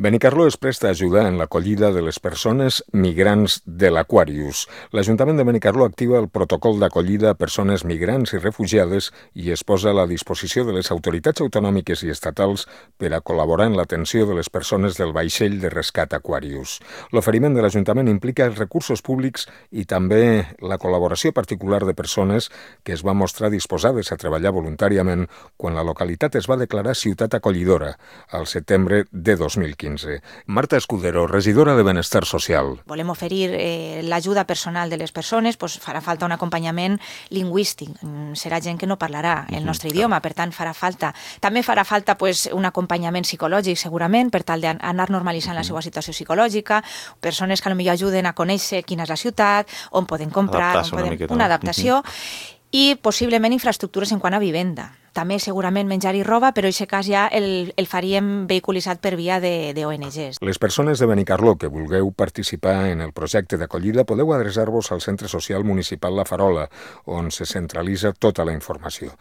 Benicarló es presta a ajudar en l'acollida de les persones migrants de l'Aquarius. L'Ajuntament de Benicarló activa el protocol d'acollida a persones migrants i refugiades i es posa a la disposició de les autoritats autonòmiques i estatals per a col·laborar en l'atenció de les persones del vaixell de rescat Aquarius. L'oferiment de l'Ajuntament implica els recursos públics i també la col·laboració particular de persones que es van mostrar disposades a treballar voluntàriament quan la localitat es va declarar ciutat acollidora al setembre de 2015. Marta Escudero, regidora de Benestar Social. Volem oferir l'ajuda personal de les persones, doncs farà falta un acompanyament lingüístic. Serà gent que no parlarà el nostre idioma, per tant farà falta. També farà falta un acompanyament psicològic, segurament, per tal d'anar normalitzant la seva situació psicològica, persones que potser ajuden a conèixer quina és la ciutat, on poden comprar, una adaptació, i possiblement infraestructures en quant a vivenda. També segurament menjar i roba, però en aquest cas ja el faríem vehiculitzat per via d'ONGs. Les persones de Benicarló que vulgueu participar en el projecte d'acollida podeu adreçar-vos al Centre Social Municipal La Farola, on se centralitza tota la informació.